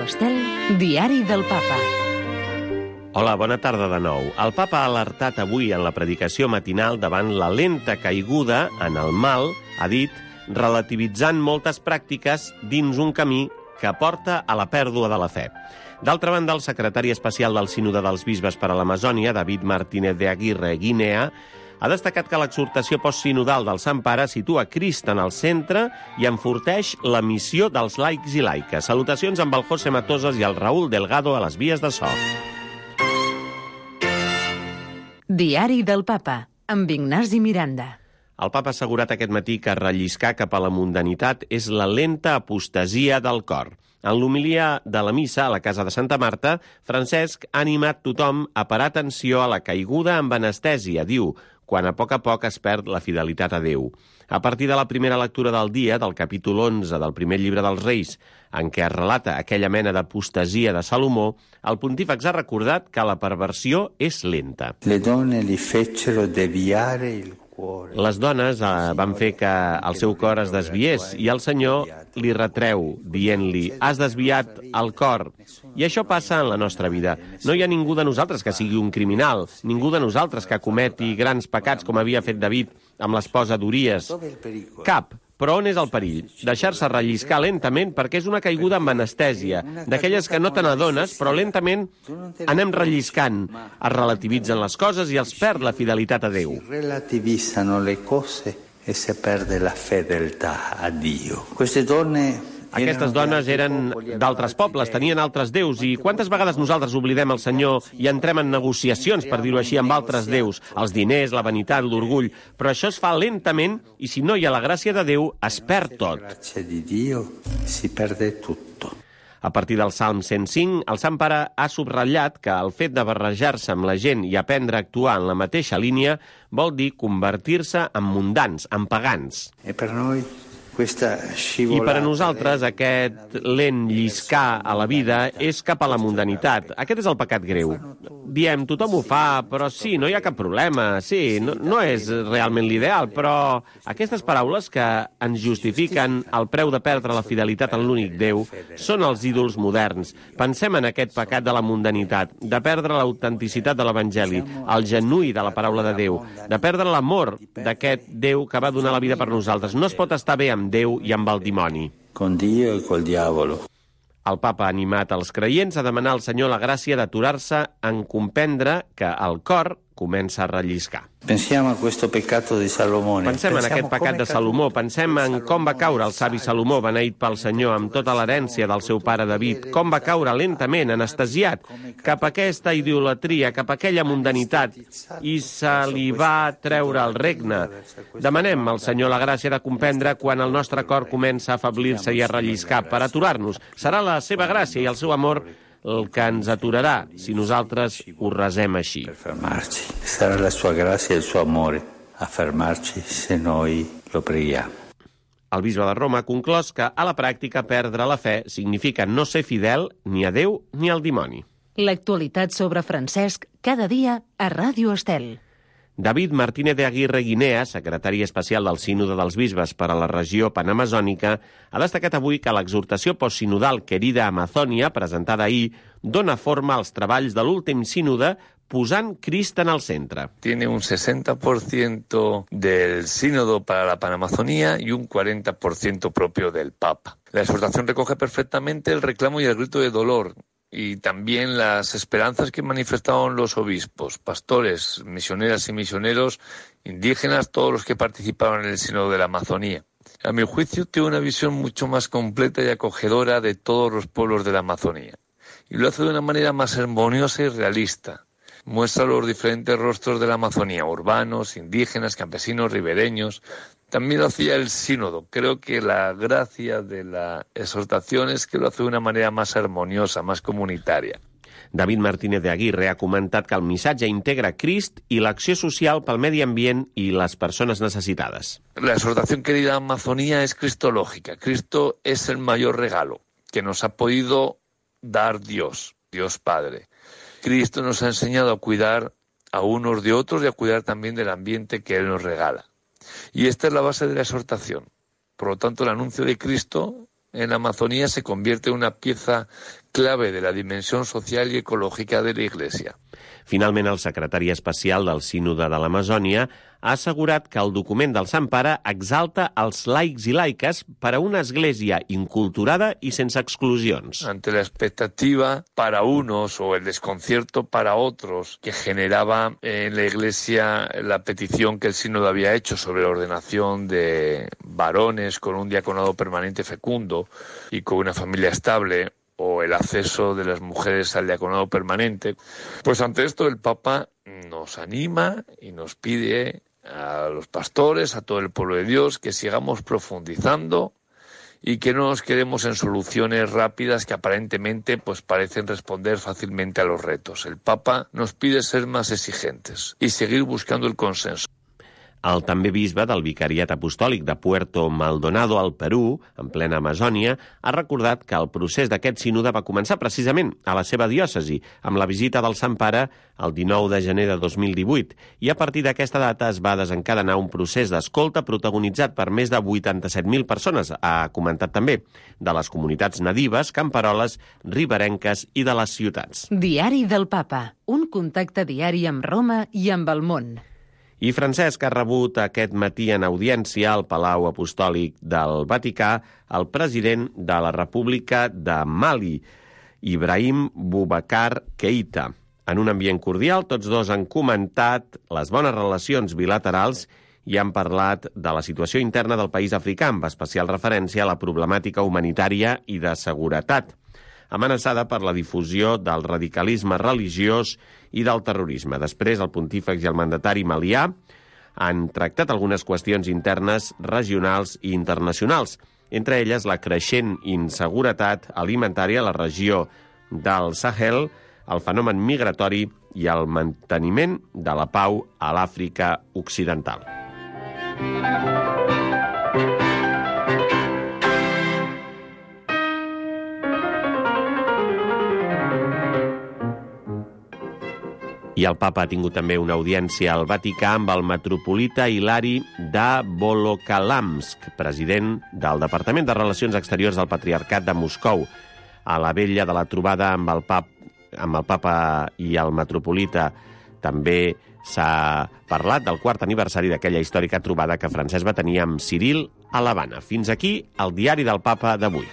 Ràdio Estel, Diari del Papa. Hola, bona tarda de nou. El papa ha alertat avui en la predicació matinal davant la lenta caiguda en el mal, ha dit, relativitzant moltes pràctiques dins un camí que porta a la pèrdua de la fe. D'altra banda, el secretari especial del Sínode dels Bisbes per a l'Amazònia, David Martínez de Aguirre Guinea, ha destacat que l'exhortació postsinodal del Sant Pare situa Crist en el centre i enforteix la missió dels laics i laiques. Salutacions amb el José Matosas i el Raúl Delgado a les vies de so. Diari del Papa, amb Ignasi Miranda. El papa ha assegurat aquest matí que relliscar cap a la mundanitat és la lenta apostasia del cor. En l'homilia de la missa a la casa de Santa Marta, Francesc ha animat tothom a parar atenció a la caiguda amb anestèsia, diu, quan a poc es perd la fidelitat a Déu. A partir de la primera lectura del dia, del capítol 11 del primer llibre dels Reis, en què es relata aquella mena d'apostasia de Salomó, el pontífex ha recordat que la perversió és lenta. Le donne li fecero deviare il cuore. Les dones van fer que el seu cor es desviés i el Senyor li retreu, dient-li, has desviat el cor. I això passa en la nostra vida. No hi ha ningú de nosaltres que sigui un criminal, ningú de nosaltres que cometi grans pecats com havia fet David amb l'esposa d'Uries. Cap. Però on és el perill? Deixar-se relliscar lentament perquè és una caiguda amb anestèsia, d'aquelles que no te n'adones, però lentament anem relliscant. Es relativitzen les coses i els perd la fidelitat a Déu. Si relativizzano le cose e si perde la fedeltà a Dio. Queste donne... Aquestes dones eren d'altres pobles, tenien altres déus, i quantes vegades nosaltres oblidem el Senyor i entrem en negociacions, per dir-ho així, amb altres déus, els diners, la vanitat, l'orgull, però això es fa lentament i si no hi ha la gràcia de Déu, es perd tot. La grazia di Dio si perde tutto. A partir del Salm 105, el Sant Pare ha subratllat que el fet de barrejar-se amb la gent i aprendre a actuar en la mateixa línia vol dir convertir-se en mundans, en pagans. E per noi... I per a nosaltres aquest lent lliscar a la vida és cap a la mundanitat. Aquest és el pecat greu. Diem, tothom ho fa, però sí, no hi ha cap problema. Sí, no és realment l'ideal, però aquestes paraules que ens justifiquen el preu de perdre la fidelitat en l'únic Déu són els ídols moderns. Pensem en aquest pecat de la mundanitat, de perdre l'autenticitat de l'Evangeli, el genuí de la paraula de Déu, de perdre l'amor d'aquest Déu que va donar la vida per nosaltres. No es pot estar bé amb Déu i amb el dimoni. Con Dio e col diavolo. El papa ha animat els creients a demanar al Senyor la gràcia d'aturar-se en comprendre que el cor comença a relliscar. Pensiamo a questo peccato di Salomone. Pensem en aquest pecat de Salomó, pensem en com va caure el savi Salomó, beneït pel Senyor, amb tota l'herència del seu pare David, com va caure lentament, anestesiat, cap a aquesta idolatria, cap a aquella mundanitat, i se li va treure el regne. Demanem al Senyor la gràcia de comprendre quan el nostre cor comença a afeblir-se i a relliscar, per aturar-nos. Serà la seva gràcia i el seu amor el que ens aturarà si nosaltres ho resem així. Per fermarci. Sarà la sua grazia e il suo amore a fermarci se noi lo preghiamo. El bisbe de Roma ha conclòs que a la pràctica perdre la fe significa no ser fidel ni a Déu ni al dimoni. L'actualitat sobre Francesc cada dia a Ràdio Estel. David Martínez de Aguirre Guinea, secretari especial del Sínode dels Bisbes per a la regió panamazònica, ha destacat avui que l'exhortació postsinodal Querida Amazònia, presentada ahir, dona forma als treballs de l'últim sínode posant Crist en el centre. Tiene un 60% del sínodo para la Panamazonía y un 40% propio del Papa. La exhortación recoge perfectamente el reclamo y el grito de dolor, y también las esperanzas que manifestaron los obispos, pastores, misioneras y misioneros indígenas, todos los que participaron en el Sínodo de la Amazonía. A mi juicio, tiene una visión mucho más completa y acogedora de todos los pueblos de la Amazonía. Y lo hace de una manera más armoniosa y realista. Muestra los diferentes rostros de la Amazonía, urbanos, indígenas, campesinos, ribereños. También lo hacía el sínodo. Creo que la gracia de la exhortación es que lo hace de una manera más armoniosa, más comunitaria. David Martínez de Aguirre ha comentat que el missatge integra Crist i l'acció social pel medi ambient i les persones necessitades. La exhortación querida Amazonía es cristológica. Cristo es el mayor regalo que nos ha podido dar Dios, Dios Padre. Cristo nos ha enseñado a cuidar a unos de otros y a cuidar también del ambiente que Él nos regala. Y esta es la base de la exhortación. Por lo tanto, el anuncio de Cristo en la Amazonía se convierte en una pieza clave de la dimensión social y ecológica de la Iglesia. Finalment, el secretari especial del Sínode de l'Amazònia ha assegurat que el document del Sant Pare exalta els laics i laiques per a una església inculturada i sense exclusions. Ante la expectativa para unos o el desconcierto para otros que generaba en la Iglesia la petición que el Sínodo había hecho sobre la ordenación de varones con un diaconado permanente fecundo y con una familia estable, o el acceso de las mujeres al diaconado permanente, pues ante esto el Papa nos anima y nos pide a los pastores, a todo el pueblo de Dios, que sigamos profundizando y que no nos quedemos en soluciones rápidas que aparentemente pues parecen responder fácilmente a los retos. El Papa nos pide ser más exigentes y seguir buscando el consenso. El també bisbe del Vicariat Apostòlic de Puerto Maldonado, al Perú, en plena Amazònia, ha recordat que el procés d'aquest sínode va començar precisament a la seva diòcesi, amb la visita del Sant Pare el 19 de gener de 2018, i a partir d'aquesta data es va desencadenar un procés d'escolta protagonitzat per més de 87.000 persones, ha comentat també, de les comunitats nadives, camperoles, riberenques i de les ciutats. Diari del Papa, un contacte diari amb Roma i amb el món. I Francesc ha rebut aquest matí en audiència al Palau Apostòlic del Vaticà el president de la República de Mali, Ibrahim Boubacar Keïta. En un ambient cordial, tots dos han comentat les bones relacions bilaterals i han parlat de la situació interna del país africà, amb especial referència a la problemàtica humanitària i de seguretat, amenaçada per la difusió del radicalisme religiós i del terrorisme. Després, el pontífex i el mandatari malià han tractat algunes qüestions internes, regionals i internacionals, entre elles la creixent inseguretat alimentària a la regió del Sahel, el fenomen migratori i el manteniment de la pau a l'Àfrica Occidental. I el papa ha tingut també una audiència al Vaticà amb el metropolita Hilari de Volokalamsk, president del Departament de Relacions Exteriors del Patriarcat de Moscou. A la vella de la trobada amb el papa i el metropolita també s'ha parlat del 4è aniversari d'aquella històrica trobada que Francesc va tenir amb Ciril a l'Havana. Fins aquí el diari del Papa d'avui.